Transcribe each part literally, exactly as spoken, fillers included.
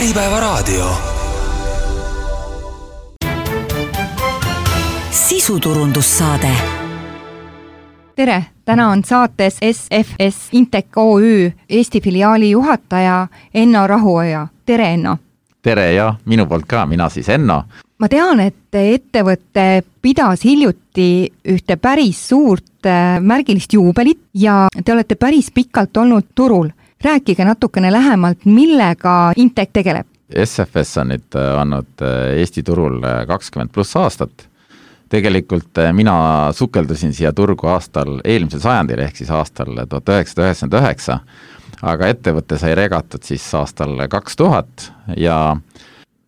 Äripäevaraadio. Sisuturundussaade. Tere, täna on saates S F S Intec O Ü Eesti filiaali juhataja Enno Rahuoja. Tere, Enno! Tere ja minu poolt ka, mina siis Enno. Ma tean, et ettevõte pidas hiljuti ühte päris suurt märgilist juubelit ja te olete päris pikalt olnud turul. Rääkige natukene lähemalt, millega Intec tegeleb. S F S on nüüd olnud Eesti turul kakskümmend pluss aastat. Tegelikult mina sukeldusin siia turgu aastal eelmisel sajandil ehk siis aastal tuhat üheksasada üheksakümmend üheksa, aga ettevõte sai regatud siis aastal kaks tuhat ja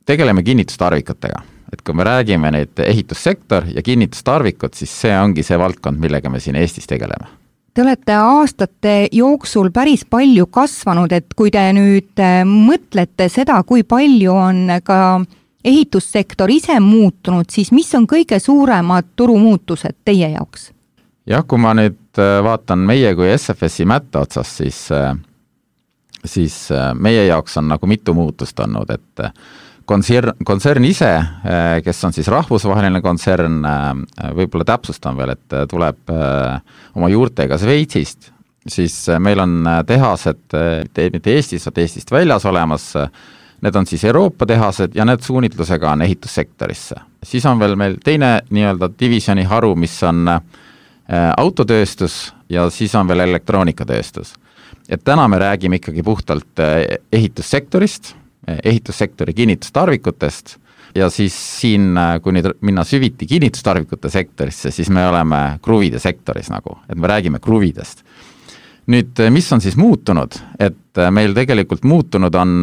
tegeleme kinnitustarvikutega. Et kui me räägime nüüd ehitussektor ja kinnitustarvikud, siis see ongi see valdkond, millega me siin Eestis tegeleme. Te olete aastate jooksul päris palju kasvanud, et kui te nüüd mõtlete seda, kui palju on ka ehitussektor ise muutunud, siis mis on kõige suuremad turumuutused teie jaoks? Jah, kui ma nüüd vaatan meie kui S F S-i mätta otsas, siis, siis meie jaoks on nagu mitu muutust olnud, et kontsern, kontsern ise, kes on siis rahvusvaheline kontsern, võib-olla täpsustan veel, et tuleb oma juurtega Sveitsist, siis meil on tehased mitte Eestis, vaid Eestist väljas olemas. Need on siis Euroopa tehased ja need suunitlusega on ehitussektorisse. Siis on veel meil teine nii-öelda divisjoni haru, mis on autotööstus ja siis on veel elektroonikatööstus. Et täna me räägime ikkagi puhtalt ehitussektorist, ehitussektori kinnitustarvikutest ja siis siin, kui nüüd minna süviti kinnitustarvikute sektorisse, siis me oleme kruvide sektoris nagu, et me räägime kruvidest. Nüüd, mis on siis muutunud? Et meil tegelikult muutunud on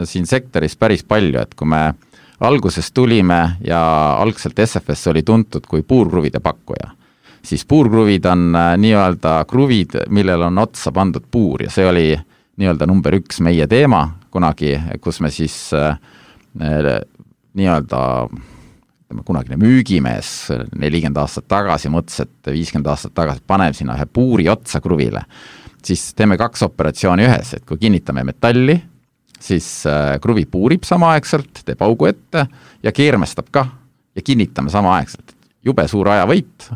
siin sektoris päris palju, et kui me alguses tulime ja algselt S F S oli tuntud kui puurkruvide pakkuja, siis puurkruvid on nii-öelda kruvid, millel on otsa pandud puur ja see oli nii-öelda number üks meie teema kunagi, kus me siis nii-öelda kunagine müügimees nelikümmend aastat tagasi mõtles, et viiskümmend aastat tagasi paneme sinna ühe puuri otsa kruvile, siis teeme kaks operatsiooni ühes, et kui kinnitame metalli, siis kruvi puurib samaaegselt, teeb augu ette ja keermestab ka ja kinnitame samaaegselt. Jube suur ajavõit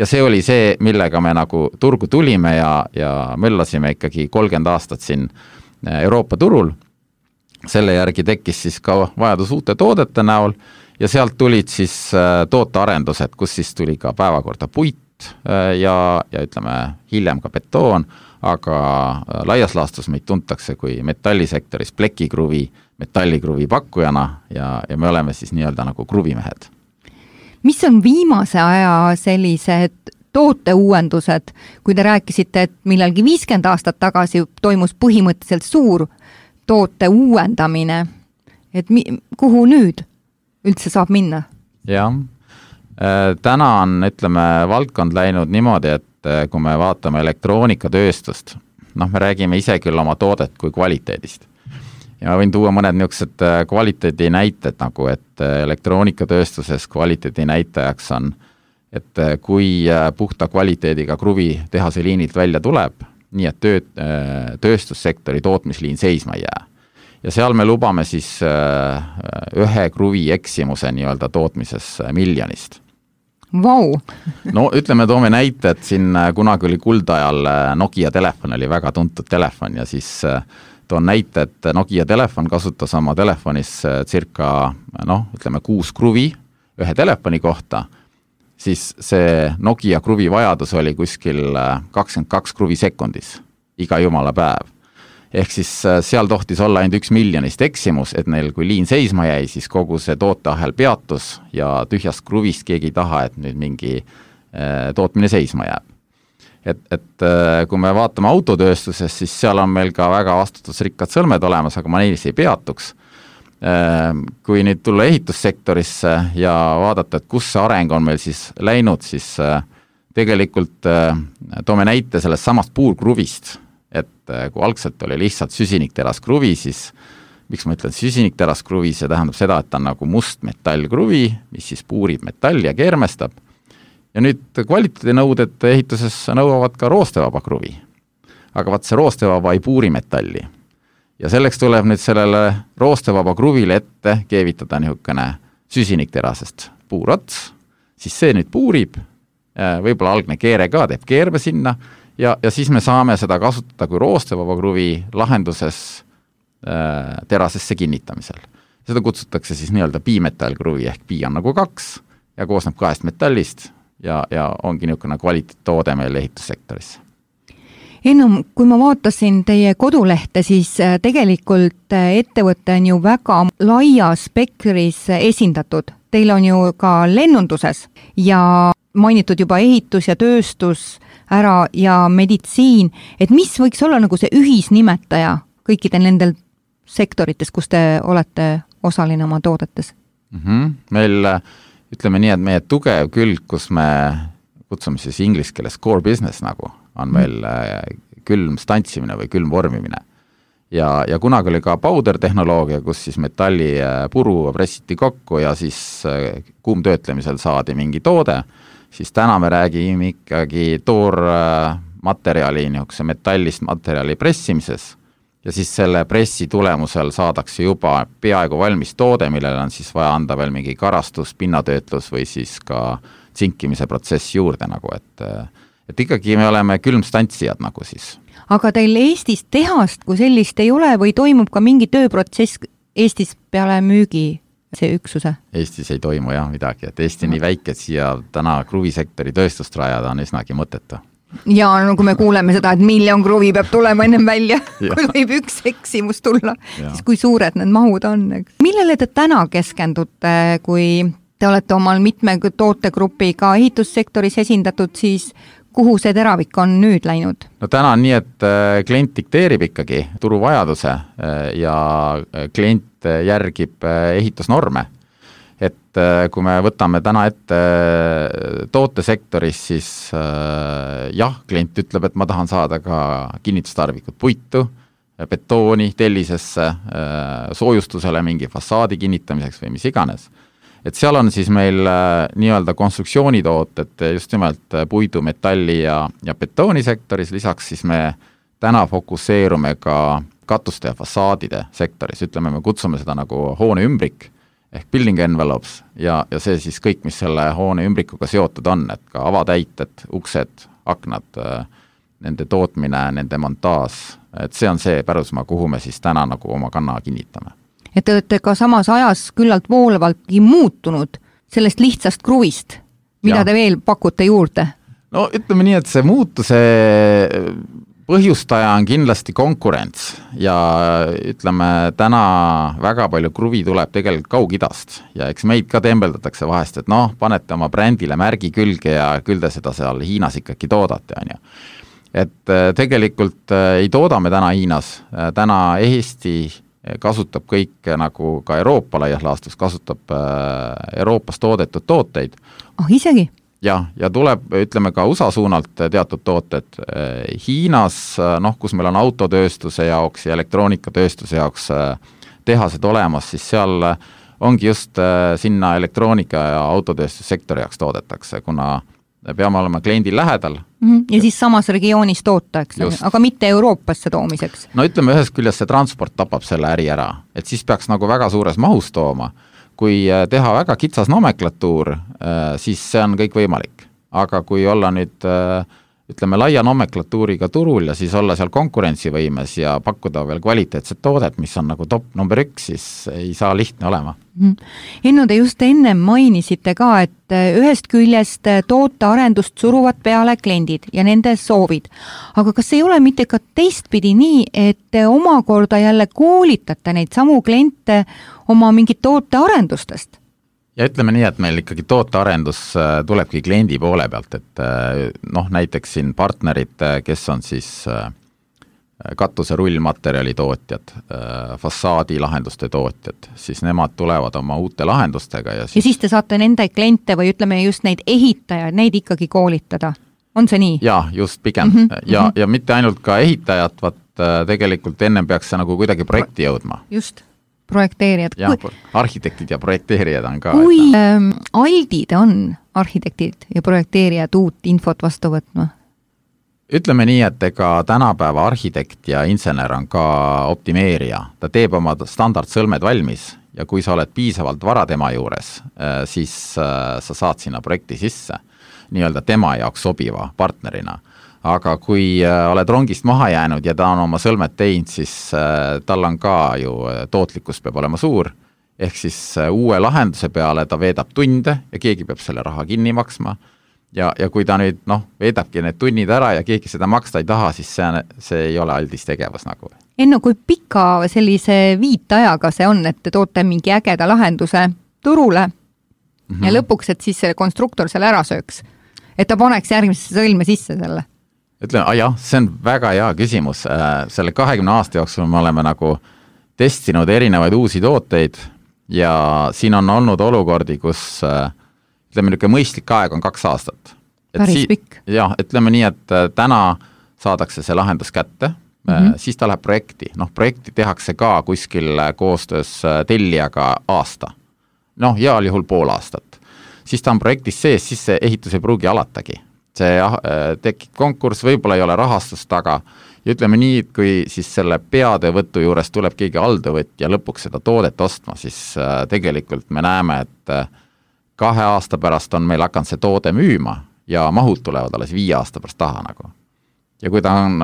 ja see oli see, millega me nagu turgu tulime ja, ja möllasime ikkagi kolmkümmend aastat siin Euroopa turul. Selle järgi tekkis siis ka vajadus uute toodete näol ja sealt tulid siis tootearendused, kus siis tuli ka päevakorda puit ja, ja ütleme hiljem ka betoon, aga laias laastus meid tuntakse kui metallisektoris plekikruvi, metallikruvi pakkujana ja, ja me oleme siis nii-öelda nagu kruvimehed. Mis on viimase aja sellised tooteuuendused, kui te rääkisite, et millalgi viiskümmend aastat tagasi toimus põhimõtteliselt suur toote uuendamine, et mi, kuhu nüüd üldse saab minna? Jah, täna on, ütleme, valdkond läinud niimoodi, et kui me vaatame elektroonikatööstust, noh, me räägime ise küll oma toodet kui kvaliteedist. Ja ma võin tuua mõned niisugused kvaliteedi näited, nagu et elektroonikatööstuses kvaliteedi näitajaks on, et kui puhta kvaliteediga kruvi tehase liinilt välja tuleb, nii et töö, tööstussektori tootmisliin seisma jää. Ja seal me lubame siis ühe kruvi eksimuse nii-öelda tootmises miljonist. Vau! No ütleme, toome näite, et siin kunagi oli kuldajal Nokia telefon oli väga tuntud telefon ja siis toon näite, et Nokia telefon kasutas oma telefonis circa, noh, ütleme kuus kruvi ühe telefoni kohta, siis see Nokia kruvi vajadus oli kuskil kakskümmend kaks kruvi sekundis iga jumala päev. Ehk siis seal tohtis olla ainult üks miljonist eksimus, et neil kui liin seisma jäi, siis kogu see tooteahel peatus ja tühjast kruvist keegi ei taha, et nüüd mingi tootmine seisma jääb. Et, et kui me vaatame autotööstuses, siis seal on meil ka väga vastutusrikkad sõlmed olemas, aga ma neis ei peatuks. Kui nüüd tulla ehitussektorisse ja vaadata, et kus see areng on meil siis läinud, siis tegelikult toome näite sellest samast puurkruvist, et kui algselt oli lihtsalt süsinikteraskruvi, siis miks ma ütlen süsinikteraskruvi, see tähendab seda, et ta on nagu must metallkruvi, mis siis puurib metalli ja keermestab. Ja nüüd kvaliteedinõuded ehituses nõuavad ka roostevaba kruvi. Aga vaat see roostevaba ei puuri metalli. ja selleks tuleb nüüd sellele roostevaba kruvile ette keevitada niisugune süsinikterasest puurots, siis see nüüd puurib, võib-olla algne keere ka teeb keerme sinna ja, ja siis me saame seda kasutada kui roostevaba kruvi lahenduses äh, terasesse kinnitamisel. Seda kutsutakse siis nii-öelda bimetallkruvi ehk bi on nagu kaks ja koosneb kahest metallist ja, ja ongi niisugune kvaliteettoode meil ehitussektoris. Ennum, kui ma vaatasin teie kodulehte, siis tegelikult ettevõte on ju väga laia spektris esindatud. Teil on ju ka lennunduses ja mainitud juba ehitus ja tööstus ära ja meditsiin, et mis võiks olla nagu see ühisnimetaja kõikidel nendel sektorites, kus te olete osaline oma toodetes? Mm-hmm. Meil ütleme nii, et meie tugev külg, kus me kutsume siis inglise keeles core business nagu, on meil külm stantsimine või külm vormimine. Ja, ja kunagi oli ka powder tehnoloogia, kus siis metalli puru pressiti kokku ja siis kuumtöötlemisel saadi mingi toode, siis täna me räägime ikkagi toormaterjali, niisuguse metallist materjali pressimises ja siis selle pressi tulemusel saadakse juba peaaegu valmis toode, millele on siis vaja anda veel mingi karastus, pinnatöötlus või siis ka tsinkimise protsess juurde nagu, et et ikkagi me oleme külmstantsijad nagu siis. Aga teil Eestis tehast kui sellist ei ole või toimub ka mingi tööprotsess Eestis peale müügi see üksuse? Eestis ei toimu jah midagi, et Eesti nii väike, et siia täna kruvisektori tööstust rajada on üsnagi mõttetu. Ja no kui me kuuleme seda, et miljon kruvi peab tulema ennem välja, kui võib üks eksimus tulla, ja. Siis kui suured need mahud on. Eks? Millele te täna keskendute, kui te olete omal mitme tootegrupiga ehitussektoris esindatud, siis kuhu see teravik on nüüd läinud? No täna on nii, et klient dikteerib ikkagi turuvajaduse ja klient järgib ehitusnorme. Et kui me võtame täna ette tootesektoris, siis jah, klient ütleb, et ma tahan saada ka kinnitustarvikut puitu, betooni, tellisesse, soojustusele mingi fassaadi kinnitamiseks või mis iganes. Et seal on siis meil nii-öelda konstruktsioonitooted just nimelt puidu, metalli ja, ja betoonisektoris, lisaks siis me täna fokusseerume ka katuste ja fassaadide sektoris, ütleme, me kutsume seda nagu hoone ümbrik ehk building envelopes ja, ja see siis kõik, mis selle hoone ümbrikuga seotud on, et ka avatäited, uksed, aknad, nende tootmine, nende montaaž, et see on see pärusmaa, kuhu me siis täna nagu oma kanna kinnitame. Et te olete ka samas ajas küllalt voolavaltki muutunud sellest lihtsast kruvist, mida ja. Te veel pakute juurde? No ütleme nii, et see muutuse põhjustaja on kindlasti konkurents ja ütleme, täna väga palju kruvi tuleb tegelikult Kaug-Idast ja eks meid ka tembeldatakse vahest, et noh, panete oma brändile märgi külge ja küll te seda seal Hiinas ikkagi toodate, on ju. Et tegelikult ei tooda me täna Hiinas, täna Eesti kasutab kõik nagu ka Euroopa laias laastus, kasutab Euroopas toodetud tooteid. Oh, isegi? Ja, ja tuleb, ütleme ka U S A suunalt teatud tooted. Hiinas, noh, kus meil on autotööstuse jaoks ja elektroonikatööstuse jaoks tehased olemas, siis seal ongi just sinna elektroonika ja autotööstussektori jaoks toodetakse, kuna peame olema kliendil lähedal. Ja siis samas regioonis toota, eks, aga mitte Euroopasse toomiseks. No ütleme, ühest küljest see transport tapab selle äri ära, et siis peaks nagu väga suures mahus tooma. Kui teha väga kitsas nomenklatuur, siis see on kõik võimalik. Aga kui olla nüüd, ütleme, laia nomenklatuuriga turul ja siis olla seal konkurentsivõimes ja pakkuda veel kvaliteetset toodet, mis on nagu top number üks, siis ei saa lihtne olema. Enno, te just enne mainisite ka, et ühest küljest tootearendust suruvad peale kliendid ja nende soovid. Aga kas ei ole mitte ka teistpidi nii, et omakorda jälle koolitate neid samu kliente oma mingit tootearendustest? Ja ütleme nii, et meil ikkagi tootearendus tulebki kliendi poole pealt, et noh, näiteks siin partnerid, kes on siis katuse rullmaterjali tootjad, fassaadi lahenduste tootjad, siis nemad tulevad oma uute lahendustega. Ja siis, ja siis te saate nende kliente või ütleme just neid ehitajaid, neid ikkagi koolitada. On see nii? Ja, just pigem. Mm -hmm. ja, ja mitte ainult ka ehitajad, vaat tegelikult ennem peaks see nagu kuidagi projekti jõudma. Just. Projekteerijad. Ja, kui, arhitektid ja projekteerijad on ka. Kui ähm, aldid on arhitektid ja projekteerijad uut infot vastu võtma? ütleme nii, et ega tänapäeva arhitekt ja insener on ka optimeerija. Ta teeb oma standardsõlmed valmis ja kui sa oled piisavalt vara tema juures, siis sa saad sinna projekti sisse nii-öelda tema jaoks sobiva partnerina. Aga kui oled rongist maha jäänud ja ta on oma sõlmed teinud, siis tal on ka ju tootlikkus peab olema suur, ehk siis uue lahenduse peale ta veedab tunde ja keegi peab selle raha kinni maksma. Ja, ja kui ta nüüd noh, veedabki need tunnid ära ja keegi seda maksta ei taha, siis see, see ei ole aldis tegevus nagu. Enno, kui pika sellise viitajaga see on, et te toote mingi ägeda lahenduse turule mm-hmm. ja lõpuks, et siis selle konstruktor selle ära sööks, et ta paneks järgmisse sõlme sisse selle? Ütleme, ah jah, see on väga hea küsimus. Selle kahekümne aasta jooksul me oleme nagu testinud erinevaid uusi tooteid ja siin on olnud olukordi, kus ütleme, niisugune mõistlik aeg on kaks aastat. Päris si- pikk. Jah, ütleme nii, et täna saadakse see lahendus kätte, mm-hmm. siis ta läheb projekti. Noh, projekti tehakse ka kuskil koostöös tellijaga aasta. Noh, heal juhul pool aastat. Siis ta on projektis sees, siis see ehitus ei pruugi alatagi. See tekib konkurss, võib-olla ei ole rahastust taga ja ütleme nii, et kui siis selle peadevõtu juures tuleb keegi aldevõtt ja lõpuks seda toodet ostma, siis tegelikult me näeme, et kahe aasta pärast on meil hakanud see toode müüma ja mahud tulevad alles viie aasta pärast taha nagu. Ja kui ta on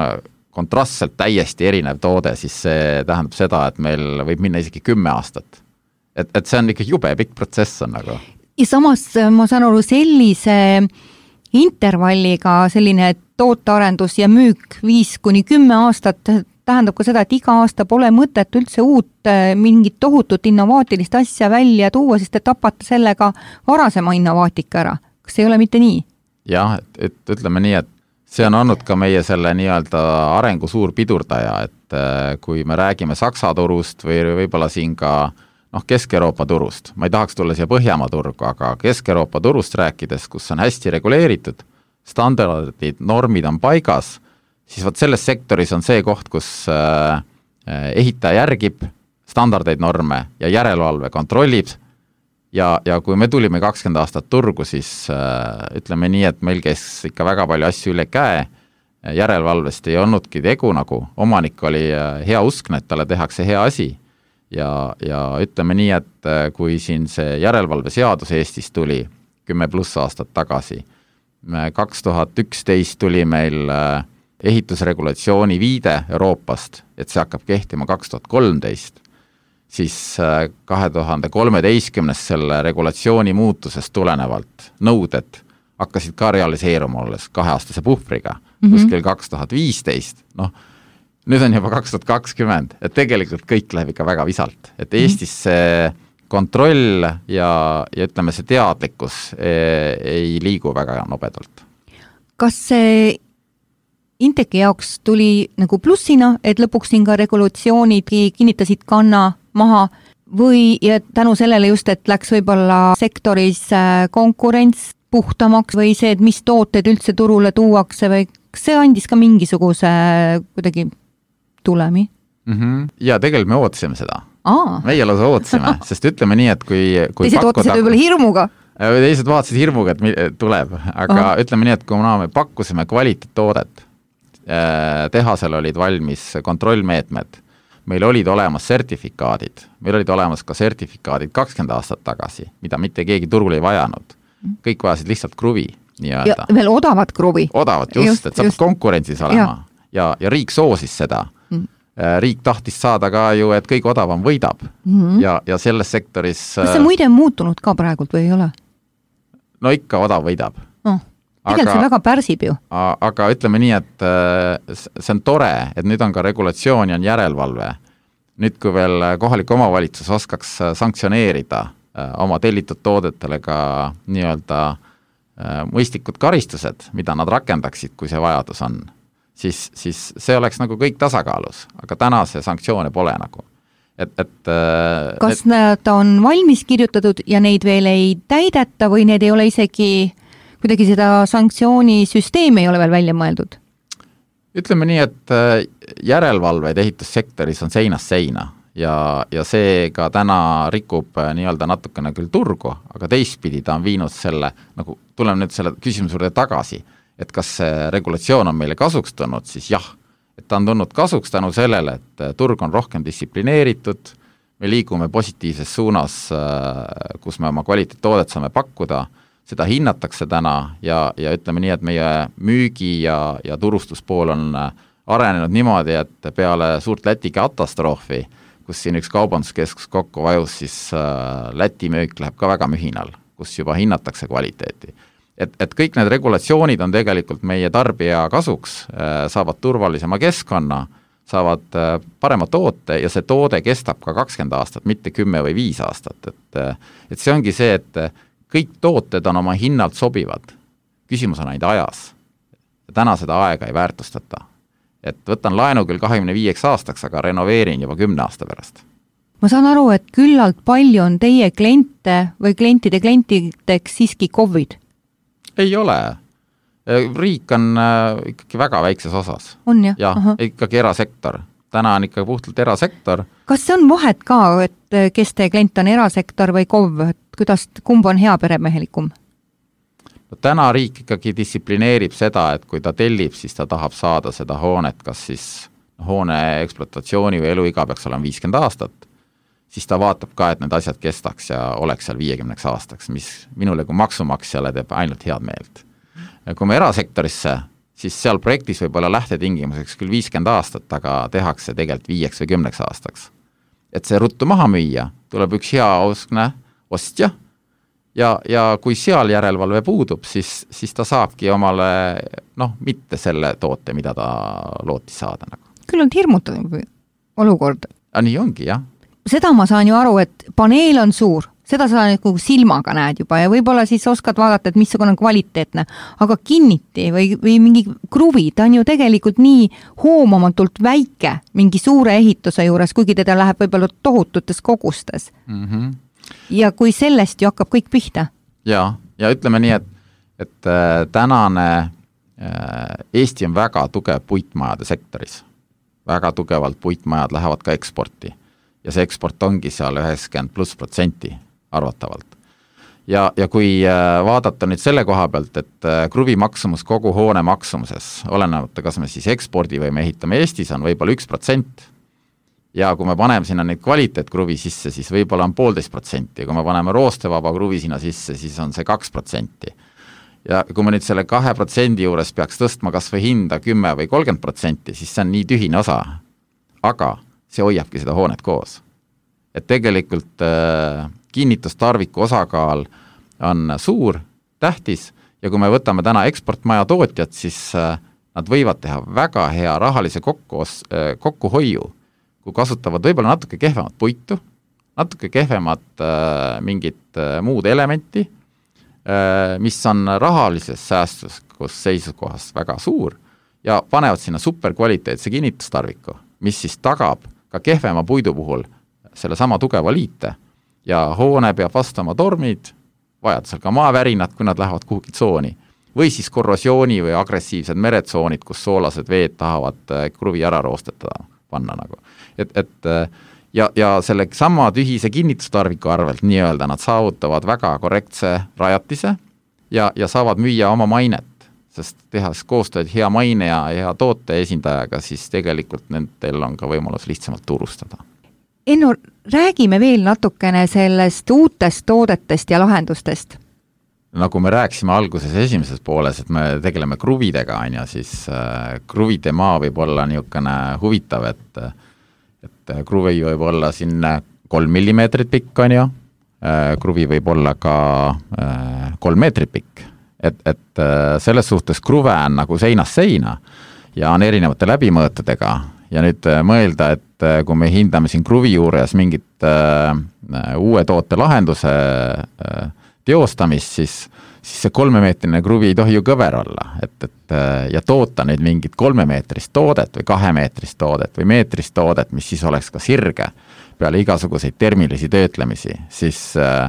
kontrastselt täiesti erinev toode, siis see tähendab seda, et meil võib minna isegi kümme aastat. Et, et see on ikka jube pikk protsess on nagu. Ja samas ma saan aru sellise intervalliga selline tootearendus ja müük viis kuni kümme aastat tähendab ka seda, et iga aasta pole mõtet üldse uut mingit tohutut innovaatilist asja välja tuua, sest te tapate sellega varasema innovaatika ära. Kas ei ole mitte nii? Jah, et, et ütleme nii, et see on olnud ka meie selle nii-öelda arengu suur pidurdaja, et kui me räägime Saksa turust või võib-olla siin ka noh, Kesk-Euroopa turust, ma ei tahaks tulla siia Põhjamaa turgu, aga Kesk-Euroopa turust rääkides, kus on hästi reguleeritud, standardid, normid on paigas, siis võt selles sektoris on see koht, kus äh, ehitaja järgib standardeid norme ja järelevalve kontrollib ja, ja kui me tulime kakskümmend aastat turgu, siis äh, ütleme nii, et meil käis ikka väga palju asju üle käe, järelevalvest ei olnudki tegu nagu, omanik oli hea uskne, et talle tehakse hea asi ja, ja ütleme nii, et kui siin see järelevalve seadus Eestis tuli kümme pluss aastat tagasi, kaks tuhat üksteist tuli meil äh, ehitusregulatsiooni viide Euroopast, et see hakkab kehtima kaks tuhat kolmteist, siis kahe tuhande kolmeteistkümnest selle regulatsiooni muutusest tulenevalt nõuded hakkasid ka realiseeruma olles kaheaastase puhvriga, mm-hmm. kuskil kaks tuhat viisteist, noh, nüüd on juba kaks tuhat kakskümmend, et tegelikult kõik läheb ikka väga visalt, et Eestis see kontroll ja, ja ütleme see teadlikkus ei, ei liigu väga nobedalt. Kas see Inteki jaoks tuli nagu plussina, et lõpuks siin ka regulatsioonid kinnitasid kanna maha või ja tänu sellele just, et läks võib-olla sektoris konkurents puhtamaks või see, et mis tooted üldse turule tuuakse või see andis ka mingisuguse kuidagi tulemi? Mm-hmm. Ja tegelikult me ootasime seda. Aa. Meie lausa ootasime, sest ütleme nii, et kui, kui teised ootasid võib-olla hirmuga? Teised vaatasid hirmuga, et tuleb, aga Aha. ütleme nii, et kui me pakkusime kvaliteettoodet, tehasel olid valmis kontrollmeetmed, meil olid olemas sertifikaadid, meil olid olemas ka sertifikaadid kakskümmend aastat tagasi, mida mitte keegi turul ei vajanud. Kõik vajasid lihtsalt kruvi. Ja veel odavat kruvi. Odavat, just, just et sa pead konkurentsis olema ja, ja, ja riik soosis seda. Mm. Riik tahtis saada ka ju, et kõik odavam võidab mm-hmm. ja, ja selles sektoris... Kas see muide on muutunud ka praegult või ei ole? No ikka odav võidab. No, tegelikult aga, see väga pärsib ju. Aga ütleme nii, et see on tore, et nüüd on ka regulatsioon ja on järelevalve. Nüüd, kui veel kohalik omavalitsus oskaks sanktsioneerida oma tellitud toodetele ka nii-öelda mõistlikud karistused, mida nad rakendaksid, kui see vajadus on, siis, siis see oleks nagu kõik tasakaalus, aga täna see sanktsioone pole nagu. Et, et, Kas need... nad on valmis kirjutatud ja neid veel ei täideta või need ei ole isegi, kuidagi seda sanktsioonisüsteemi ei ole veel välja mõeldud? Ütleme nii, et järelevalveid ehitussektoris on seinast seina ja, ja see ka täna rikub nii-öelda natukene küll turgu, aga teistpidi ta on viinud selle, nagu tuleme nüüd selle küsimuse juurde tagasi, et kas see regulatsioon on meile kasuks tulnud, siis jah, et ta on tulnud kasuks tänu sellele, et turg on rohkem distsiplineeritud, me liigume positiivses suunas, kus me oma kvaliteettoodet saame pakkuda, seda hinnatakse täna ja, ja ütleme nii, et meie müügi ja, ja turustuspool on arenenud niimoodi, et peale suurt Läti katastroofi, kus siin üks kaubanduskeskus kokku vajus, siis Läti müük läheb ka väga mühinal, kus juba hinnatakse kvaliteeti. Et, et kõik need regulatsioonid on tegelikult meie tarbija kasuks, saavad turvalisema keskkonna, saavad parema toote ja see toode kestab ka kakskümmend aastat, mitte kümme või viis aastat. Et, et see ongi see, et kõik tooted on oma hinnalt sobivad. Küsimus on ainult ajas. Täna seda aega ei väärtustata. Et võtan laenu küll kahekümne viieks aastaks, aga renoveerin juba kümne aasta pärast. Ma saan aru, et küllalt palju on teie kliente või klientide klientideks siiski COVID? Ei ole. Riik on ikkagi väga väikses osas. On jah? Ja, ikkagi erasektor. Täna on ikka puhtalt erasektor. Kas see on vahet ka, et kes teie klient on erasektor või K O V? Kuidas, kumb on hea peremehelikum? No, täna riik ikkagi distsiplineerib seda, et kui ta tellib, siis ta tahab saada seda hoonet, kas siis hoone ekspluatatsiooni või eluiga peaks olema viiskümmend aastat, siis ta vaatab ka, et need asjad kestaks ja oleks seal viiekümneks aastaks, mis minule kui maksumaksjale teeb ainult head meelt. Kui me erasektorisse, siis seal projektis võib olla lähtetingimuseks küll viiskümmend aastat, aga tehakse tegelikult viieks või kümneks aastaks. Et see ruttu maha müüa, tuleb üks hea oskne ostja ja, ja kui seal järelevalve puudub, siis, siis ta saabki omale noh, mitte selle toote, mida ta lootis saada. Nagu. Küll on hirmutav olukord. Ja nii ongi, jah. Seda ma saan ju aru, et paneel on suur, seda sa nagu silmaga näed juba ja võib-olla siis oskad vaadata, et missugune on kvaliteetne, aga kinniti või, või mingi kruvi, ta on ju tegelikult nii hoomamatult väike mingi suure ehituse juures, kuigi teda läheb võib-olla tohututes kogustes. Mm-hmm. Ja kui sellest ju hakkab kõik pihta. Ja, ja ütleme nii, et, et äh, tänane äh, Eesti on väga tugev puitmajade sektoris. Väga tugevalt puitmajad lähevad ka eksporti. Ja see eksport ongi seal üheksakümmend pluss protsenti arvatavalt. Ja, ja kui vaadata nüüd selle koha pealt, et kruvi maksumus kogu hoone maksumuses, olenevalt, kas me siis ekspordi või me ehitame Eestis, on võib-olla üks protsent. Ja kui me paneme sinna neid kvaliteetkruvi sisse, siis võib-olla on poolteist protsenti. Ja kui me paneme roostevaba kruvi sinna sisse, siis on see kaks protsenti. Ja kui me nüüd selle kahe protsendi juures peaks tõstma kas või hinda kümme või kolmkümmend protsenti, siis see on nii tühine osa. Aga see hoiabki seda hoonet koos. Et tegelikult äh, kinnitustarviku osakaal on suur, tähtis ja kui me võtame täna eksportmaja tootjad, siis äh, nad võivad teha väga hea rahalise kokku, äh, kokkuhoiu, kui kasutavad võib-olla natuke kehvemat puitu, natuke kehvemat äh, mingit äh, muud elementi, äh, mis on rahalises säästus, kus seisukohast väga suur ja panevad sinna superkvaliteetse kinnitustarviku, mis siis tagab ka kehvema puidu puhul selle sama tugeva liite ja hoone peab vastama tormid, vajadusel ka maavärinad, kui nad lähevad kuhugi tsooni või siis korrosiooni või agressiivsed meretsoonid, kus soolased veed tahavad kruvi ära roostetada panna nagu. Et, et ja, ja selle sama tühise kinnitustarviku arvelt nii-öelda nad saavutavad väga korrektse rajatise ja, ja saavad müüa oma mainet, sest tehas koostööd hea maine ja hea toote esindajaga, siis tegelikult nendel on ka võimalus lihtsamalt turustada. Enno, räägime veel natukene sellest uutest toodetest ja lahendustest. Nagu me rääksime alguses esimeses pooles, et me tegeleme kruvidega, on ja siis äh, kruvide maa võib olla niisugune huvitav, et, et kruvi võib olla siin kolm millimeetrit pikk, on ju, äh, kruvi võib olla ka äh, kolm meetrit pikk. Et, et selles suhtes kruve on nagu seinast seina ja on erinevate läbimõõtudega ja nüüd mõelda, et kui me hindame siin kruvi juures mingit äh, uue toote lahenduse äh, teostamist, siis, siis see kolmemeetrine kruvi ei tohi ju kõver olla, et, et ja toota nüüd mingit kolmemeetrist toodet või kahemeetrist toodet või meetrist toodet, mis siis oleks ka sirge peale igasuguseid termilisi töötlemisi, siis äh,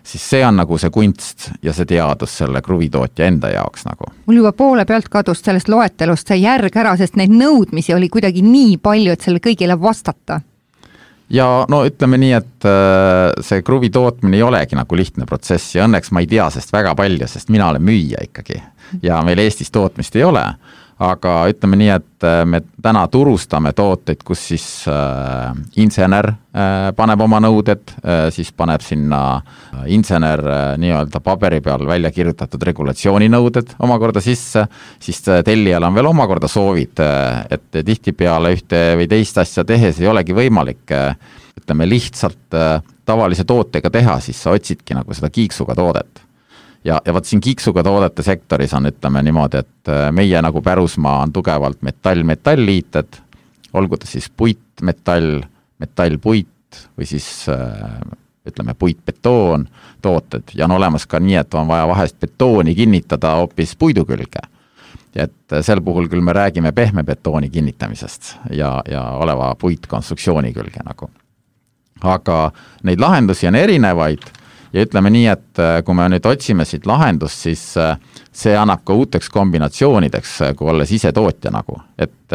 siis see on nagu see kunst ja see teadus selle kruvitootja enda jaoks nagu. Mul juba poole pealt kadus sellest loetelust see järg ära, sest neid nõudmisi oli kuidagi nii palju, et selle kõigile vastata. ja no ütleme nii, et see kruvi tootmine ei olegi nagu lihtne protsess ja õnneks ma ei tea sest väga palju, sest mina olen müüja ikkagi ja meil Eestis tootmist ei ole, aga ütleme nii, et me täna turustame tooteid, kus siis äh, insener äh, paneb oma nõuded, äh, siis paneb sinna insener äh, nii-öelda paberi peal välja kirjutatud regulatsiooninõuded omakorda sisse, siis tellijal on veel omakorda soovid, äh, et tihtipeale ühte või teist asja tehes ei olegi võimalik äh, ütleme lihtsalt äh, tavalise tootega teha, siis sa otsidki nagu seda kiiksuga toodet. Ja, ja vaat siin kiiksuga toodete sektoris on, ütleme niimoodi, et meie nagu pärusmaa on tugevalt metall-metall-liited, olgu ta siis puit, metall, metall-puit või siis ütleme puit-betoon tooted ja on olemas ka nii, et on vaja vahest betooni kinnitada hoopis puidu külge. Et sel puhul küll me räägime pehme betooni kinnitamisest ja, ja oleva puitkonstruktsiooni külge nagu. Aga neid lahendusi on erinevaid ja ütleme nii, et kui me nüüd otsime siit lahendust, siis see annab ka uuteks kombinatsioonideks, kui olles ise tootja nagu. Et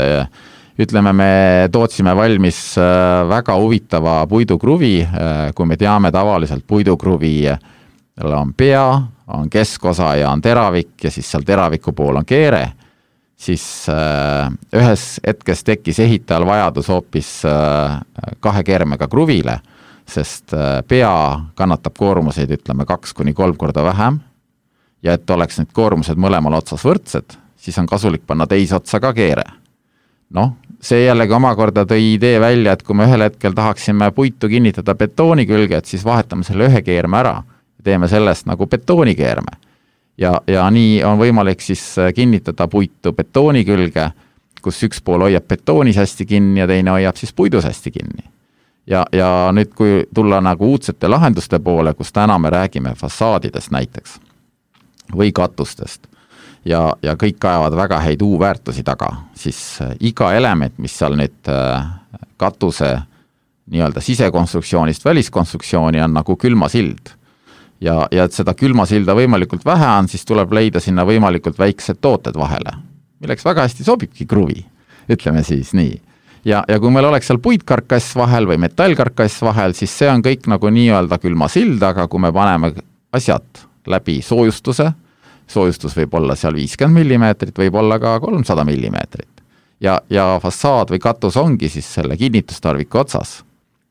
ütleme, me tootsime valmis väga huvitava puidukruvi, kui me teame tavaliselt puidukruvi on pea, on keskosa ja on teravik ja siis seal teraviku pool on keere, siis ühes hetkes tekkis ehitajal vajadus hoopis kahe keermega kruvile, sest pea kannatab koormuseid, ütleme, kaks kuni kolm korda vähem ja et oleks need koormused mõlemal otsas võrdsed, siis on kasulik panna teise otsa ka keere. Noh, see jällegi omakorda tõi idee välja, et kui me ühel hetkel tahaksime puitu kinnitada betooni külge, et siis vahetame selle ühe keerme ära ja teeme sellest nagu betoonikeerme. Ja, ja nii on võimalik siis kinnitada puitu betooni külge, kus üks pool hoiab betoonis hästi kinni ja teine hoiab siis puidus hästi kinni. Ja, ja nüüd, kui tulla nagu uudsete lahenduste poole, kus täna me räägime fassaadidest näiteks või katustest ja, ja kõik ajavad väga häid U-väärtusi taga, siis iga element, mis seal nüüd katuse nii-öelda sisekonstruktsioonist väliskonstruktsiooni on nagu külmasild. Ja, ja et seda külmasilda võimalikult vähe on, siis tuleb leida sinna võimalikult väiksed tooted vahele, milleks väga hästi sobibki kruvi, ütleme siis nii. Ja, ja kui meil oleks seal puitkarkass vahel või metallkarkass vahel, siis see on kõik nagu nii-öelda külma sild, aga kui me paneme asjad läbi soojustuse, soojustus võib olla seal viiskümmend millimeetrit, võib olla ka kolmsada millimeetrit. Ja, ja fassaad või katus ongi siis selle kinnitustarviku otsas,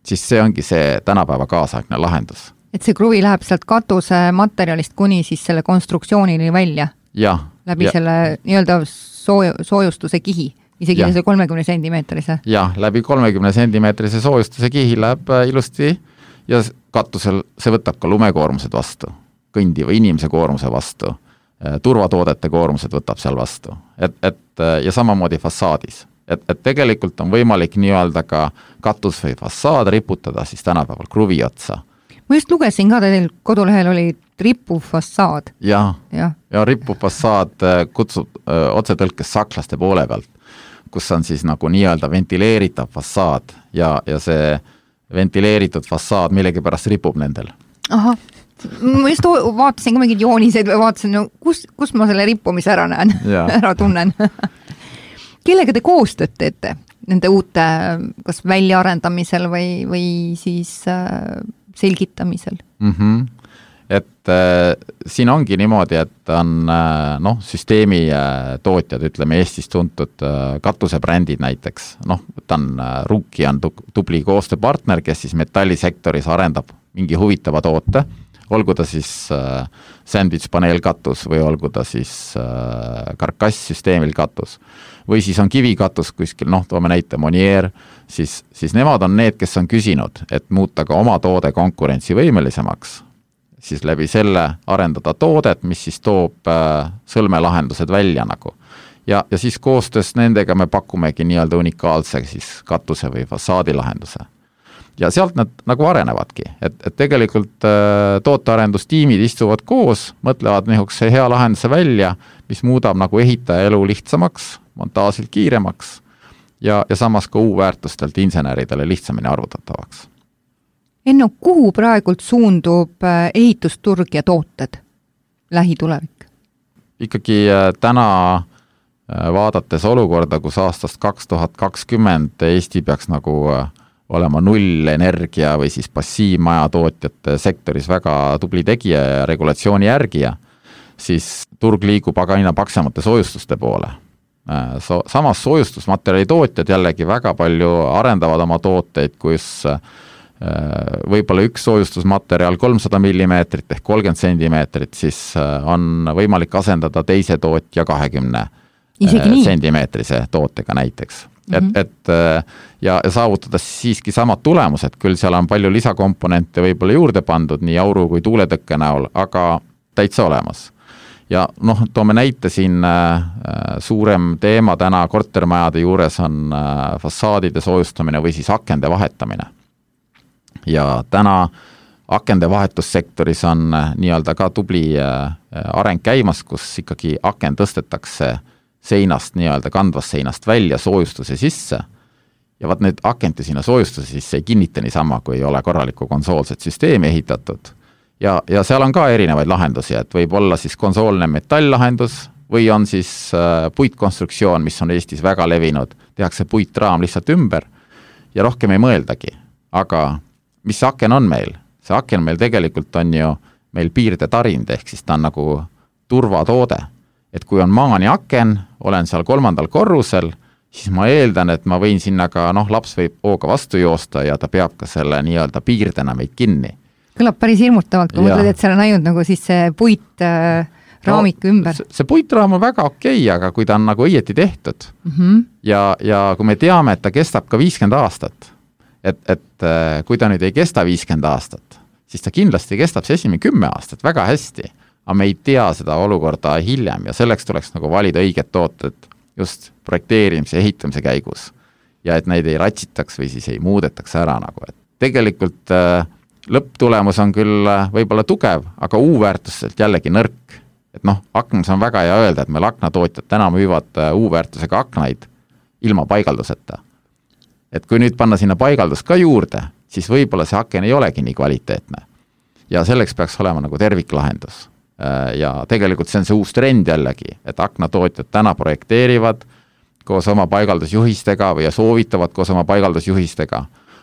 siis see ongi see tänapäeva kaasaegne lahendus. Et see kruvi läheb sealt katuse materjalist kuni siis selle konstruktsioonini välja? Ja. Läbi ja. selle nii-öelda sooju, soojustuse kihi? Isegi see kolmekümne sentimeetrise. Jah, läbi kolmekümne sentimeetrise soojustuse kihi läheb ilusti ja katusel see võtab ka lumekoormused vastu, kõndi või inimese koormuse vastu, turvatoodete koormused võtab seal vastu. Et, et, ja samamoodi fassaadis. Et, et tegelikult on võimalik nii-öelda ka katus või fassaad riputada siis tänapäeval kruvi otsa. Ma just lugesin ka, teil kodulehel oli rippuv fassaad. Ja, ja. ja rippuv fassaad kutsub otsetõlkes saklaste poole pealt, kus on siis nagu nii-öelda ventileeritav fassaad ja, ja see ventileeritud fassaad millegipärast ripub nendel. Aha, ma just vaatasin ka mingid jooniseid või vaatasin, no, kus, kus ma selle rippumise ära näen, ära tunnen. Kellega te koostööd teete nende uute kas väljaarendamisel või, või siis äh, selgitamisel? Mhm. Et äh, siin ongi niimoodi, et on äh, noh, süsteemi äh, tootjad, ütleme Eestis tuntud äh, katusebrändid näiteks, noh, ta on äh, Ruki on tubli koostööpartner, kes siis metallisektoris arendab mingi huvitava toote, olgu ta siis äh, sandwich paneelkatus või olgu ta siis äh, karkass-süsteemil katus või siis on kivikatus kuskil, noh, toome näite Monier, siis, siis nemad on need, kes on küsinud, et muuta ka oma toode konkurentsivõimelisemaks, siis läbi selle arendada toodet, mis siis toob äh, sõlmelahendused välja nagu. Ja, ja siis koostöös nendega me pakumegi nii-öelda unikaalse siis katuse või fassaadilahenduse. Ja sealt nad nagu arenevadki, et, et tegelikult äh, tootearendustiimid istuvad koos, mõtlevad nihukese hea lahenduse välja, mis muudab nagu ehitaja elu lihtsamaks, montaažilt kiiremaks ja, ja samas ka U-väärtustelt inseneridele lihtsamini arvutatavaks. Enno, kuhu praegult suundub ehitusturg ja tooted lähitulevik? Ikkagi täna vaadates olukorda, kus aastast kaks tuhat kakskümmend Eesti peaks nagu olema nullenergia või siis passiivmajatootjate sektoris väga tubli tegija ja regulatsiooni järgija, siis turg liigub aga aina paksemate soojustuste poole. So, samas soojustusmaterjali tootjad jällegi väga palju arendavad oma tooteid, kus võib-olla üks soojustusmaterjal kolmsada millimeetrit ehk kolmkümmend sentimeetrit, siis on võimalik asendada teise tootja kahekümne sentimeetrise tootega näiteks. Mm-hmm. Et, et ja saavutada siiski samad tulemused, küll seal on palju lisakomponente võib-olla juurde pandud nii auru kui tuuletõkke näol, aga täitsa olemas. Ja noh, toome näite siin äh, suurem teema täna kortermajade juures on äh, fassaadide soojustamine või siis akende vahetamine. Ja täna akende vahetussektoris on äh, nii-öelda ka tubli äh, areng käimas, kus ikkagi aken tõstetakse seinast, nii-öelda kandvast seinast välja soojustuse sisse. Ja vaat need akente sinna soojustuse sisse ei kinnita niisama, kui ei ole korralikku konsoolset süsteemi ehitatud. Ja, ja seal on ka erinevaid lahendusi, et võib olla siis konsoolne metalllahendus või on siis äh, puitkonstruktsioon, mis on Eestis väga levinud, tehakse puitraam lihtsalt ümber ja rohkem ei mõeldagi. Aga mis see aken on meil? See aken meil tegelikult on ju meil piirde tarind, ehk siis ta on nagu turvatoode. Et kui on maani aken, olen seal kolmandal korrusel, siis ma eeldan, et ma võin sinna ka, noh, laps võib hooga vastu joosta ja ta peab ka selle nii-öelda piirdena meid kinni. Kõlab päris hirmutavalt, kui mõtled, et seal on ainult nagu siis see puit äh, raamik no, ümber. See, see puitraam on väga okei, aga kui ta on nagu õieti tehtud mm-hmm. ja, ja kui me teame, et ta kestab ka viiskümmend aastat, et, et äh, kui ta nüüd ei kesta viiskümmend aastat, siis ta kindlasti kestab see esimene kümme aastat väga hästi, aga me ei tea seda olukorda hiljem ja selleks tuleks nagu valida õiged tooted just projekteerimise ja ehitamise käigus ja et neid ei ratsitaks või siis ei muudetaks ära nagu, et tegelikult äh, lõpptulemus on küll võib-olla tugev, aga U-väärtuselt jällegi nõrk. Et noh, aknas on väga hea öelda, et meil aknatootjad täna müüvad U-väärtusega aknaid ilma paigalduseta. Et kui nüüd panna sinna paigaldus ka juurde, siis võib-olla see aken ei olegi nii kvaliteetne. Ja selleks peaks olema nagu terviklahendus. Ja tegelikult see on see uus trend jällegi, et aknatootjad täna projekteerivad koos oma paigaldusjuhistega või soovitavad koos oma paigaldusjuhistega.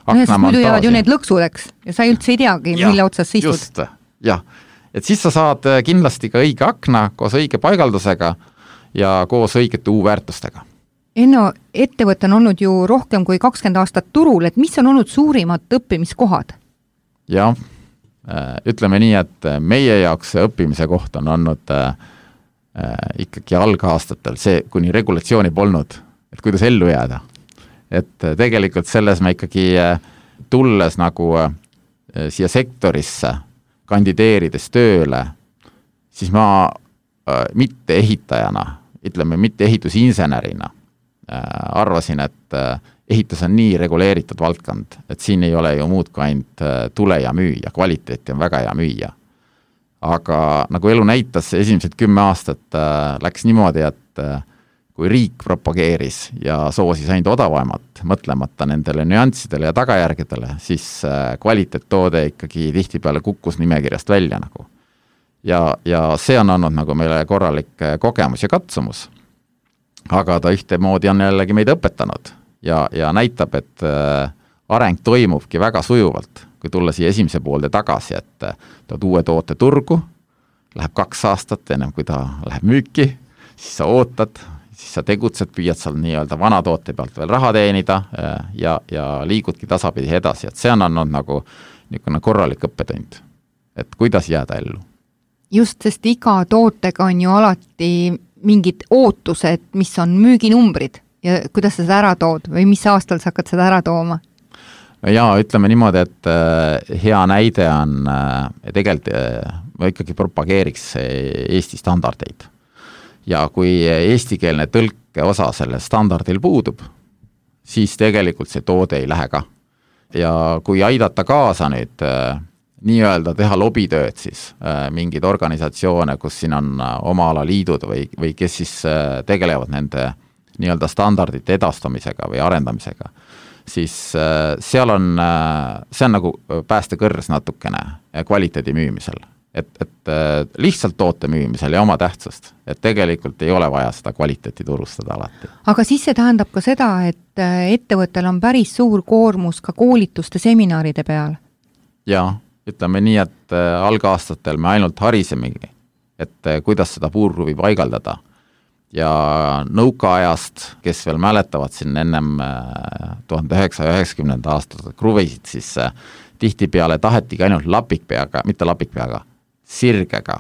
No, sest muidu jäävad ju need lõksudeks ja sa üldse ei teagi, ja, mille otsas sa istud. Just, jah. Et siis sa saad kindlasti ka õige akna koos õige paigaldusega ja koos õigete U-väärtustega. Enno, ettevõte on olnud ju rohkem kui kakskümmend aastat turul, et mis on olnud suurimad õppimiskohad? Jah, ütleme nii, et meie jaoks õppimise koht on olnud äh, ikkagi algaastatel see, kuni regulatsiooni polnud, et kuidas ellu jääda. Et tegelikult selles me ikkagi tulles nagu siia sektorisse kandideerides tööle, siis ma mitte ehitajana, ütleme mitte ehitusinsenerina, arvasin, et ehitus on nii reguleeritud valdkond, et siin ei ole ju muud kui ainult tule ja müüa, kvaliteeti on väga hea müüa. Aga nagu elu näitas, esimesed kümme aastat läks niimoodi, et kui riik propageeris ja soosis ainult odavamat, mõtlemata nendele nüanssidele ja tagajärgedele, siis kvaliteettoode ikkagi tihtipeale kukkus nimekirjast välja nagu. Ja, ja see on olnud nagu meile korralik kogemus ja katsumus. Aga ta ühtemoodi on jällegi meid õpetanud ja, ja näitab, et areng toimubki väga sujuvalt, kui tulla siia esimese poolde tagasi, et tood uue toote turgu, läheb kaks aastat ennem kui ta läheb müüki, siis sa ootad, siis sa tegutsed, püüad seal nii-öelda vana toote pealt veel raha teenida ja, ja liigudki tasapidi edasi, et see on olnud nagu niisugune korralik õppetund, et kuidas jääda ellu. Just, sest iga tootega on ju alati mingid ootused, mis on müüginumbrid ja kuidas sa seda ära tood või mis aastal sa hakkad seda ära tooma? Jaa, ütleme niimoodi, et hea näide on, tegelikult ma ikkagi propageeriks Eesti standardeid. Ja kui eestikeelne tõlke osa selle standardil puudub, siis tegelikult see toode ei lähe ka. Ja kui aidata kaasa nüüd nii-öelda teha lobitööd siis mingid organisatsioone, kus siin on oma ala liidud või, või kes siis tegelevad nende nii-öelda standardite edastamisega või arendamisega, siis seal on, see on nagu päästekõrs natukene kvaliteedi müümisel. et, et lihtsalt toote müümisel ja oma tähtsust, et tegelikult ei ole vaja seda kvaliteeti turustada alati. Aga siis see tähendab ka seda, et ettevõttel on päris suur koormus ka koolituste seminaride peal? Jaa, ütleme nii, et algaastatel me ainult harisemegi, et kuidas seda puurkruvi paigaldada. Ja nõukaajast, kes veel mäletavad siin ennem tuhande üheksasaja üheksakümnenda aastat kruvisid, siis tihtipeale tahetigi ainult lapikpeaga, mitte lapikpeaga, sirgega,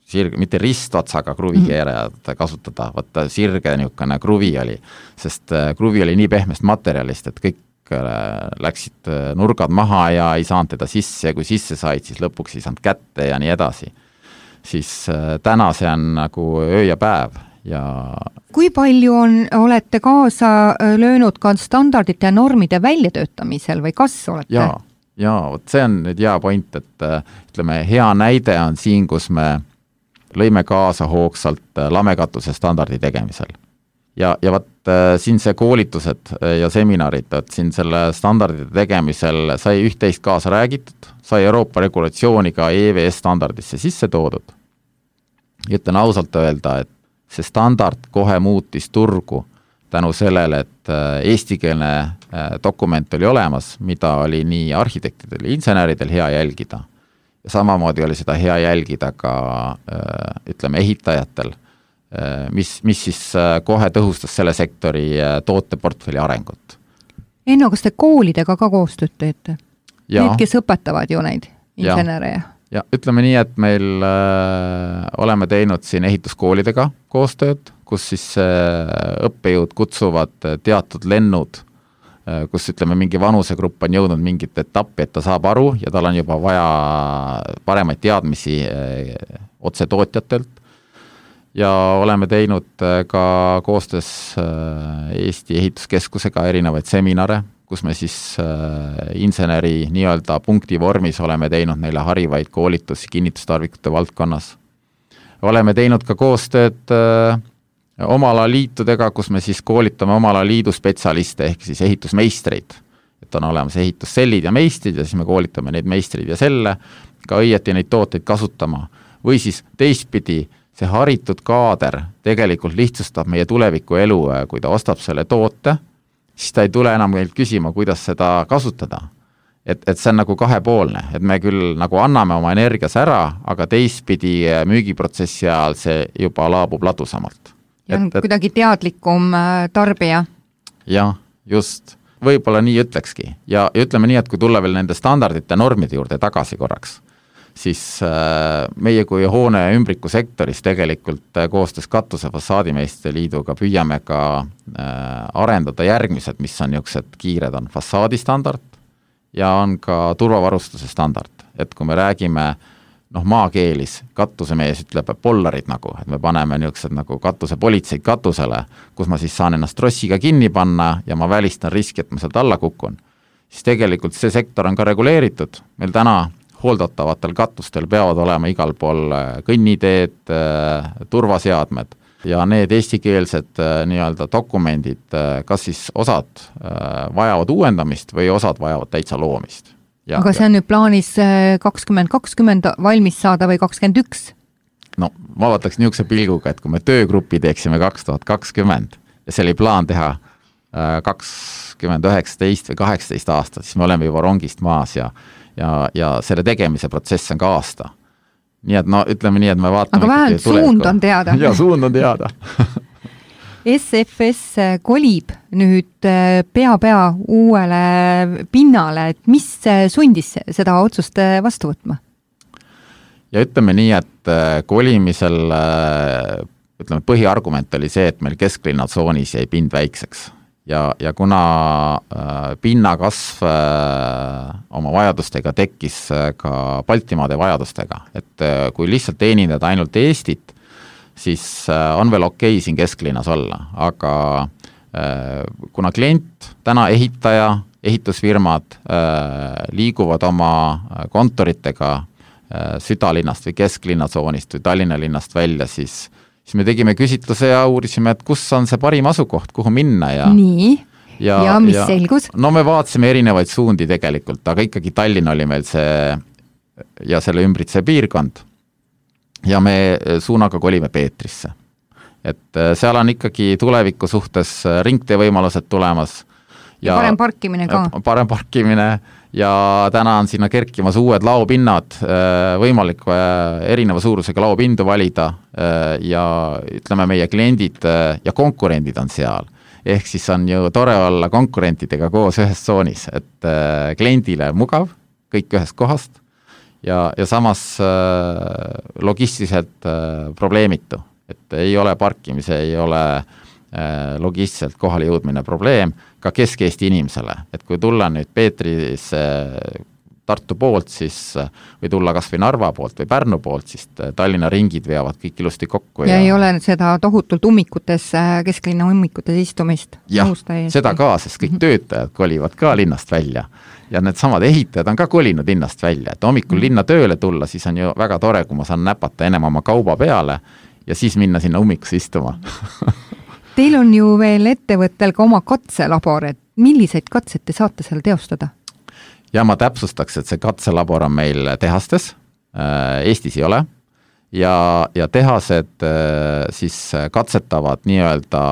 sirge, mitte ristotsaga kruvikeerajad kasutada, võtta sirge niisugune kruvi oli, sest kruvi oli nii pehmest materjalist, et kõik läksid nurgad maha ja ei saanud teda sisse ja kui sisse said, siis lõpuks ei saanud kätte ja nii edasi. Siis täna see on nagu öö ja päev. Ja kui palju on, olete kaasa löönud ka standardite ja normide väljatöötamisel või kas olete? Jaa, jaa, vot see on nüüd hea point, et ütleme, hea näide on siin, kus me lõime kaasa hoogsalt lamekatuse standardi tegemisel. Ja, ja vat siin see koolitused ja seminarid, et siin selle standardite tegemisel sai üht-teist kaasa räägitud, sai Euroopa regulatsiooniga E V S standardisse sisse toodud. Ja ütlen ausalt öelda, et see standard kohe muutis turgu tänu sellele, et eestikeelne dokument oli olemas, mida oli nii arhitektidel ja inseneridel hea jälgida. Ja samamoodi oli seda hea jälgida ka ütleme ehitajatel, mis, mis siis kohe tõhustas selle sektori tooteportfelli arengut. Enno, kas te koolidega ka koostööd teete? Need, kes õpetavad ju neid insenereja? Ja ütleme nii, et meil äh, oleme teinud siin ehituskoolidega koostööd, kus siis äh, õppejõud kutsuvad teatud lennud, äh, kus ütleme mingi vanusegrupp on jõudnud mingit etappi, et ta saab aru ja tal on juba vaja paremaid teadmisi äh, otse tootjatelt. Ja oleme teinud äh, ka koostöös äh, Eesti ehituskeskusega erinevaid seminare, kus me siis äh, inseneri nii-öelda punkti vormis oleme teinud neile harivaid koolitusi kinnitustarvikute valdkonnas. Oleme teinud ka koostööd äh, omala liitudega, kus me siis koolitame omala liidu spetsialiste ehk siis ehitusmeistreid. Et on olemas ehitussellid ja meistrid ja siis me koolitame neid meistrid ja selle, ka õieti neid tooteid kasutama. Või siis teistpidi see haritud kaader tegelikult lihtsustab meie tuleviku elu, kui ta ostab selle toote, siis ta ei tule enam meilt küsima, kuidas seda kasutada. Et, et see on nagu kahepoolne, et me küll nagu anname oma energias ära, aga teistpidi müügiprotsessi ajal see juba laabub ladusamalt. Ja on et, et, kuidagi teadlikum tarbija. Jah, just. Võib-olla nii ütlekski. Ja, ja ütleme nii, et kui tulla veel nende standardite normide juurde tagasi korraks, siis meie kui hoone ümbriku sektoris tegelikult koostöös Katuse fassaadimeeste liiduga püüame ka arendada järgmised, mis on niisugused kiired, on fassaadistandard ja on ka turvavarustuse standard. Et kui me räägime noh, maakeelis, katusemees ütleb pollarid nagu, et me paneme niisugused nagu katuse politseid katusele, kus ma siis saan ennast trossiga kinni panna ja ma välistan riski, et ma sealt alla kukun. Siis tegelikult see sektor on ka reguleeritud. Meil täna hooldatavatel katustel peavad olema igal pool kõnniteed, turvaseadmed ja need eestikeelsed nii-öelda dokumendid, kas siis osad vajavad uuendamist või osad vajavad täitsa loomist. Ja, aga see on nüüd plaanis kakskümmend kakskümmend valmis saada või kakskümmend üks? No ma vaataks niisuguse pilguga, et kui me töögrupi teeksime kaks tuhat kakskümmend ja see oli plaan teha kakskümmend üheksateist või kaheksateist aastat, siis me oleme juba rongist maas ja Ja, ja selle tegemise protsess on ka aasta. Nii et no ütleme nii, et me vaatame... Aga vähemalt suund on teada. Ja, suund on teada. S F S kolib nüüd pea-pea uuele pinnale, et mis sundis seda otsust vastu võtma? Ja ütleme nii, et kolimisel ütleme, põhiargument oli see, et meil kesklinnatsoonis jäi pind väikseks. Ja, ja kuna äh, pinnakasv äh, oma vajadustega tekkis äh, ka Baltimaade vajadustega, et äh, kui lihtsalt teenindada ainult Eestit, siis äh, on veel okei siin kesklinnas olla, aga äh, kuna klient, täna ehitaja, ehitusfirmad äh, liiguvad oma kontoritega äh, südalinnast või kesklinnatsoonist või Tallinna linnast välja, siis siis me tegime küsitluse ja uurisime, et kus on see parim asukoht, kuhu minna. Ja, nii, ja, ja mis ja, selgus? No me vaatasime erinevaid suundi tegelikult, aga ikkagi Tallinn oli meil see ja selle ümbritse piirkond ja me suunaga kolime Peetrisse. Et seal on ikkagi tuleviku suhtes ringtee võimalused tulemas. Ja, ja parem parkimine ka. Parem parkimine ja täna on sinna kerkimas uued laopinnad, võimalik erineva suurusega laopindu valida ja ütleme meie kliendid ja konkurendid on seal. Ehk siis on ju tore olla konkurentidega koos ühes tsoonis, et kliendile mugav, kõik ühest kohast ja, ja samas logistiliselt probleemitu. Et ei ole parkimise, ei ole logistiliselt kohale jõudmine probleem ka Kesk-Eesti inimesele. Et kui tulla nüüd Peetris Tartu poolt, siis või tulla kas või Narva poolt või Pärnu poolt, siis Tallinna ringid veavad kõik ilusti kokku. Ja, ja ei ole seda tohutult ummikutes, kesklinna ummikutes istumist. Jah, seda ka, sest kõik töötajad kolivad ka linnast välja. Ja need samad ehitajad on ka kolinud linnast välja. Et hommikul mm. linna tööle tulla, siis on ju väga tore, kui ma saan näpata ennem oma kauba peale ja siis minna sinna ummikusse istuma. Teil on ju veel ettevõttel ka oma katselabor, et milliseid katseid te saate seal teostada? Ja ma täpsustaks, et see katselabor on meil tehastes, Eestis ei ole, ja, ja tehased siis katsetavad nii-öelda,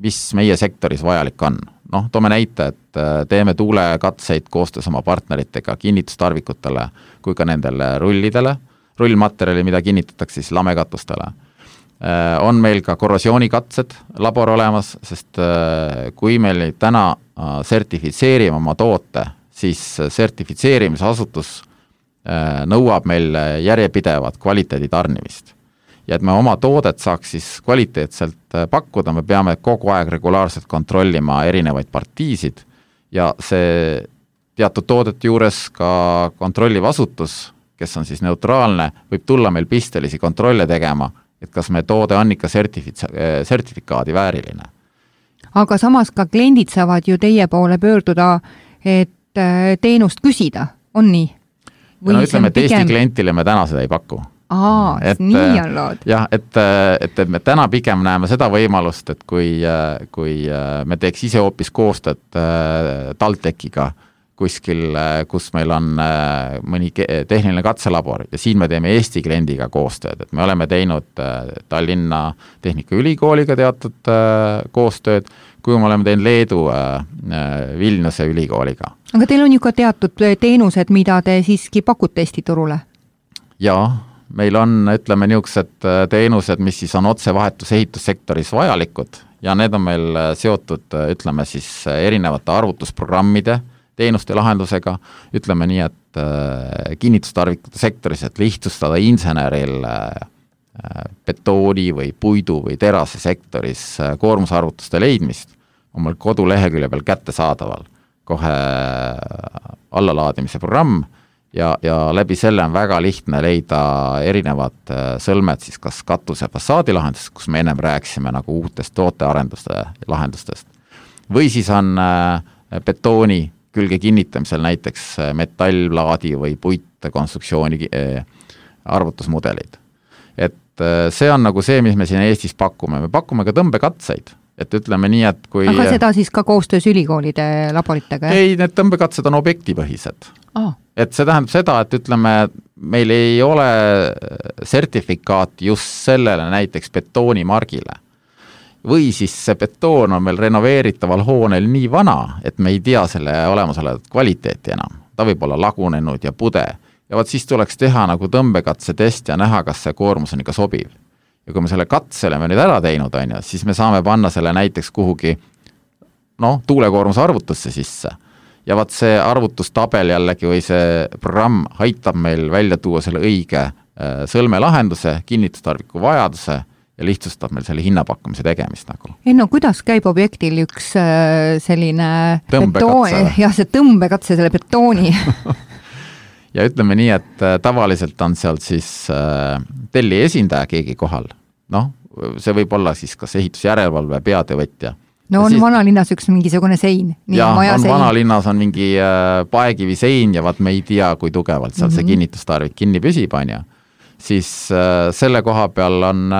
mis meie sektoris vajalik on. Noh, toome näite, et teeme tuulekatseid koostöös oma partneritega kinnitustarvikutele kui ka nendele rullidele, rullmaterjali, mida kinnitatakse siis lamekatustele. On meil ka korrosioonikatted labor olemas, sest kui meil täna sertifitseerime oma toote, siis sertifitseerimise asutus nõuab meil järjepidevat kvaliteedi tarnimist. Ja et me oma toodet saaks siis kvaliteetselt pakkuda, me peame kogu aeg regulaarselt kontrollima erinevaid partiisid ja see teatud toodete juures ka kontrolliv asutus, kes on siis neutraalne, võib tulla meil pistelisi kontrolle tegema, et kas me toode on ikka sertifits- sertifikaadi vääriline. Aga samas ka kliendid saavad ju teie poole pöörduda, et teenust küsida, on nii? Või no ütleme, et pigem... Eesti klientile me täna seda ei paku. Aa, et, nii on lood. Jah, et, et me täna pigem näeme seda võimalust, et kui, kui me teeks ise hoopis koostööd TalTechiga kuskil, kus meil on mõni tehniline katselabor ja siin me teeme Eesti kliendiga koostööd, et me oleme teinud Tallinna Tehnikaülikooliga teatud koostööd, kui me oleme teinud Leedu Vilniuse ülikooliga. Aga teil on ju ka teatud teenused, mida te siiski pakute Eesti turule? Jaa, meil on, ütleme, niisugused teenused, mis siis on otsevahetus ehitussektoris vajalikud ja need on meil seotud, ütleme siis, erinevate arvutusprogrammide teenuste lahendusega, ütleme nii, et kinnitustarvikute sektoris, et lihtsustada inseneril betooni või puidu või terase sektoris koormusarvutuste leidmist, on meil kodulehekülje peal kättesaadaval kohe allalaadimise programm ja, ja läbi selle on väga lihtne leida erinevad sõlmed siis kas katuse fassaadi lahendusest, kus me ennem rääkisime nagu uutest tootearenduste lahendustest. Või siis on betooni külge kinnitamisel näiteks metallplaadi või puitkonstruktsiooni arvutusmudelid. Et see on nagu see, mis me siin Eestis pakume. Me pakume ka tõmbekatseid, et ütleme nii, et kui... Aga seda siis ka koostöös ülikoolide laboritega? Ei, need tõmbekatsed on objektipõhised. Ah. Et see tähendab seda, et ütleme, meil ei ole sertifikaati just sellele näiteks betoonimargile. Või siis see betoon on meil renoveeritaval hoonel nii vana, et me ei tea selle olemasolevat kvaliteeti enam. Ta võib olla lagunenud ja pude. Ja vaat siis tuleks teha nagu tõmbekatse test ja näha, kas see koormus on ikka sobiv. Ja kui me selle katsele me nüüd ära teinud, on ju, siis me saame panna selle näiteks kuhugi no, tuulekoormuse arvutusse sisse. Ja vaat see arvutustabel jällegi või see programm aitab meil välja tuua selle õige sõlmelahenduse, kinnitustarviku vajaduse ja lihtsustab meil selle hinnapakkumise tegemist nagu. Ei no kuidas käib objektil üks selline tõmbekatse? Ja see tõmbekatse, selle betooni. Ja ütleme nii, et tavaliselt on sealt siis telli esindaja keegi kohal. Noh, see võib olla siis kas ehitusjärelevalve peatöövõtja. No on siis... vanalinnas üks mingisugune sein. Nii ja, on sein. Vanalinnas on mingi paekivi sein ja vaat me ei tea, kui tugevalt seal mm-hmm. see kinnitustarvik kinni püsib, on ju. Siis selle koha peal on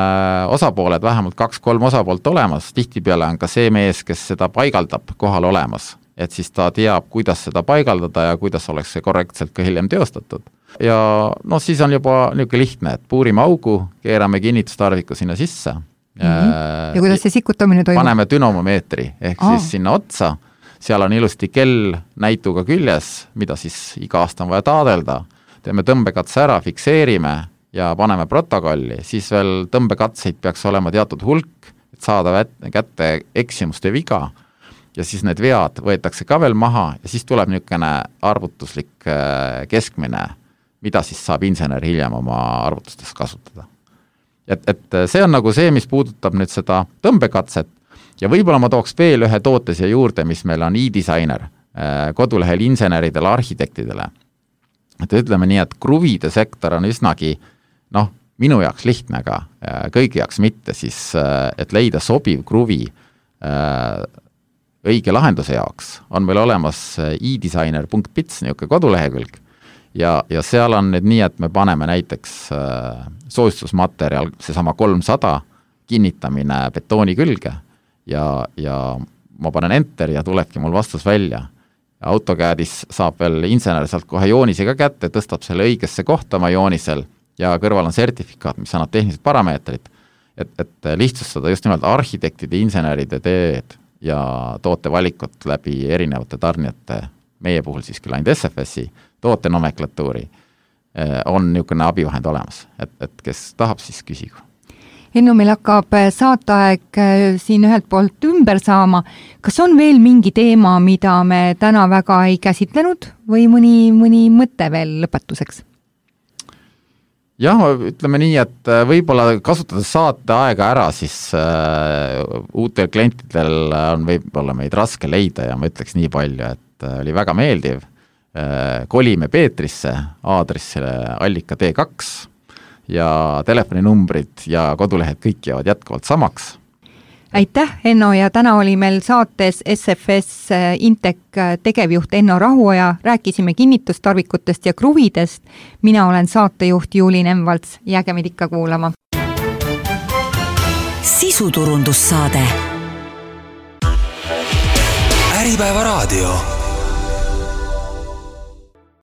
osapooled, vähemalt kaks-kolm osapoolt olemas, tihtipeale on ka see mees, kes seda paigaldab kohal olemas, et siis ta teab, kuidas seda paigaldada ja kuidas oleks see korrektselt ka hiljem teostatud. Ja no siis on juba niisugune lihtne, et puurime augu, keerame kinnitustarviku sinna sisse. Mm-hmm. Ja kuidas see sikutamine toimub? Paneme dünamomeetri ehk Aa. siis sinna otsa, seal on ilusti kell näituga küljes, mida siis iga aasta on vaja taadelda, teeme tõmbekatse ära, fikseerime ja paneme protokolli, siis veel tõmbekatseid peaks olema teatud hulk, et saada kätte eksimuste viga ja siis need vead võetakse ka veel maha ja siis tuleb niisugune arvutuslik keskmine, mida siis saab insener hiljem oma arvutustes kasutada. Et, et see on nagu see, mis puudutab nüüd seda tõmbekatset ja võib-olla ma tooks veel ühe toote siia juurde, mis meil on e-designer kodulehel inseneridele, arhitektidele. Et ütleme nii, et kruvide sektor on üsnagi, noh, minu jaoks lihtne, aga kõigi jaoks mitte, siis et leida sobiv kruvi õige lahenduse jaoks, on meil olemas e-designer punkt bits niisugune kodulehekülg ja, ja seal on nüüd nii, et me paneme näiteks soojustusmaterjal, seesama kolmsada kinnitamine betooni külge ja, ja ma panen enter ja tulebki mul vastus välja. AutoCADis saab veel insener sealt kohe joonise ka kätte, tõstab selle õigesse kohta oma joonisel ja kõrval on sertifikaat, mis annab tehnilised parameetrid, et, et lihtsustada just nimelt arhitektide, inseneride teed ja tootevalikut läbi erinevate tarnijate, meie puhul siis küll ainult S F S-i, tootenomenklatuuri, on niisugune abivahend olemas, et, et kes tahab, siis küsigu. Enno, meil hakkab saateaeg siin ühelt poolt ümber saama. Kas on veel mingi teema, mida me täna väga ei käsitlenud või mõni, mõni mõte veel lõpetuseks? Jah, ütleme nii, et võib-olla kasutades saateaega ära, siis uh, uutel klientidel on võib-olla meid raske leida ja ma ütleks nii palju, et uh, oli väga meeldiv. Uh, kolime Peetrisse, aadressile allika D kaks ja telefoninumbrid ja kodulehed kõik jäävad jätkuvalt samaks. Aitäh, Enno, ja täna oli meil saates S F S Intec tegevjuht Enno Rahuoja, rääkisime kinnitustarvikutest ja kruvidest. Mina olen saatejuht Juuli Nemvalts, jääge meid ikka kuulama. Sisuturundussaade. Äripäeva raadio.